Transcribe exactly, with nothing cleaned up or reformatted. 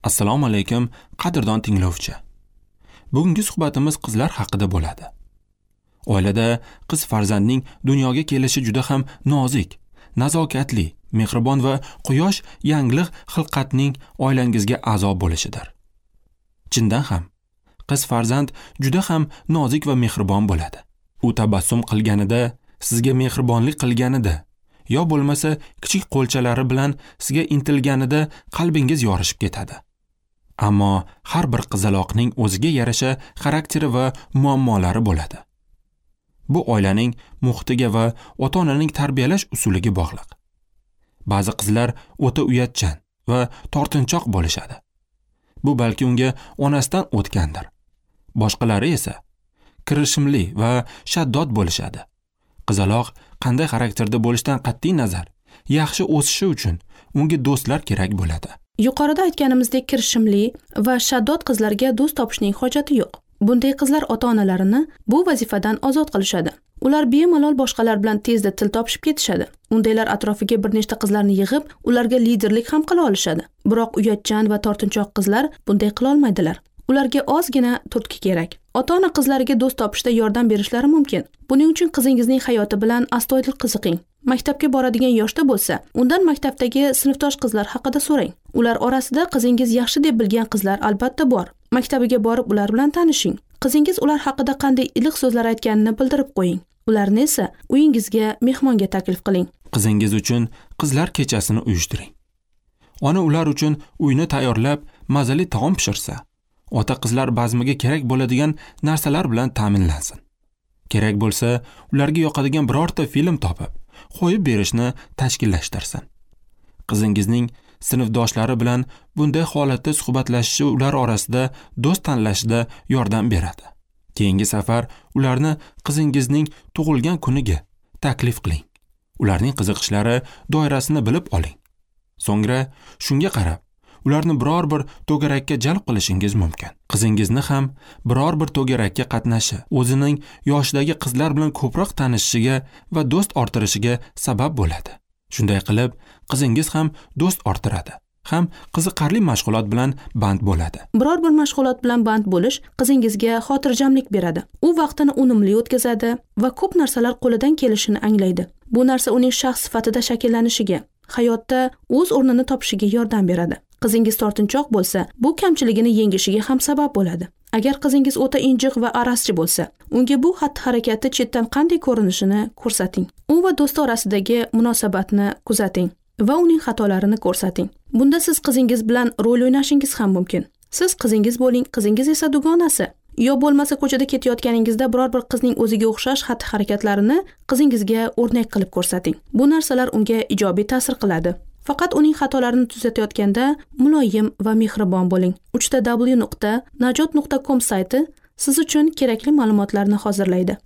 Assalomu alaykum, qadrdon tinglovchi. Bugungi suhbatimiz qizlar haqida bo'ladi. Oilada qiz farzandning dunyoga kelishi juda ham nozik, nazokatli, mehribon va quyosh yangliq xilqatning oilangizga a'zo bo'lishidir. Chindan ham qiz farzand juda ham nozik va mehribon bo'ladi. U tabassum qilganida, sizga mehribonlik qilganida, yo bo'lmasa kichik qo'lchalari bilan sizga intilganida qalbingiz yorishib ketadi. Ammo har bir qizaloqning o'ziga yarasha xarakteri va muammolari bo'ladi. Bu oilaning muhitiga va ota-onaning tarbiyalash usuliga bog'liq. Ba'zi qizlar o'ta uyatchan va tortinchoq bo'lishadi. Bu balki unga onasidan o'tgandir. Boshqalari esa kirishimli va shaddod bo'lishadi. Qizaloq qanday xarakterda bo'lishidan qat'iy nazar, yaxshi o'sishi uchun unga do'stlar kerak bo'ladi. Yuqorida aytganimizdek, kirishimli va shaddod qizlarga do'st topishning hojati yo'q. Bunday qizlar ota-onalarini bu vazifadan ozod qilishadi. Ular bemalol boshqalar bilan tezda til topishib ketishadi. Undaylar atrofiga bir nechta qizlarni yig'ib, ularga liderlik ham qila olishadi. Biroq uyatchan va tortinchoq qizlar bunday qila olmaydilar. Ularga ozgina turtki kerak. Ota-ona qizlariga do'st topishda yordam berishlari mumkin. Buning uchun qizingizning hayoti bilan astoydil qiziqing. Maktabga boradigan yoshda bo'lsa, undan maktabdagi sinfdosh qizlar haqida so'rang. Ular orasida qizingiz yaxshi deb bilgan qizlar albatta bor. Maktabiga borib ular bilan tanishing. Qizingiz ular haqida qanday iliq so'zlar aytganini bildirib qo'ying. Ularni esa uyingizga mehmonga taklif qiling. Qizingiz uchun qizlar kechasini uyushtiring. Ona ular uchun uyni tayyorlab, mazali taom pishirsa, ota qizlar bazmiga kerak bo'ladigan narsalar bilan ta'minlansin. Kerak bo'lsa, ularga yoqadigan birorta film topib, qo'yib berishni tashkillashtirsin. Qizingizning sinfdoshlari bilan bunday holatda suhbatlashishi ular orasida do'st tanlashida yordam beradi. Keyingi safar ularni qizingizning tug'ilgan kuniga taklif qiling. Ularning qiziqishlari doirasini bilib oling. So'ngra shunga qarab ularni biror bir to'garakka jalb qilishingiz mumkin. Qizingizni ham biror bir to'garakka qatnashi, o'zining yoshidagi qizlar bilan ko'proq tanishishiga va do'st orttirishiga sabab bo'ladi. Shunday qilib, qizingiz ham do'st orttiradi, ham qiziqarli mashg'ulot bilan band bo'ladi. Biror bir mashg'ulot bilan band bo'lish qizingizga xotirjamlik beradi. U vaqtini unumli o'tkazadi va ko'p narsalar qo'lidan kelishini anglaydi. Bu narsa uning shaxs sifatida shakllanishiga, hayotda o'z o'rnini topishiga yordam beradi. Qizingiz tortinchoq bo'lsa, bu kamchiligini yengishiga ham sabab bo'ladi. Agar qizingiz o'ta injiq va arazchi bo'lsa, unga bu xatti-harakati chetdan qanday ko'rinishini ko'rsating. U va do'sti orasidagi munosabatni kuzating va uning xatolarini ko'rsating. Bunda siz qizingiz bilan rol o'ynashingiz ham mumkin. Siz qizingiz bo'ling, qizingiz esa dugonasi. Yo bo'lmasa ko'chada ketayotganingizda biror bir qizning o'ziga o'xshash xatti-harakatlarini qizingizga o'rnak qilib ko'rsating. Bu narsalar unga ijobiy ta'sir qiladi. Faqat uning xatolarini tuzatayotganda muloyim va mehribon bo'ling. uch ta w nuqta najot nuqta com sayti siz uchun kerakli ma'lumotlarni hozirlaydi.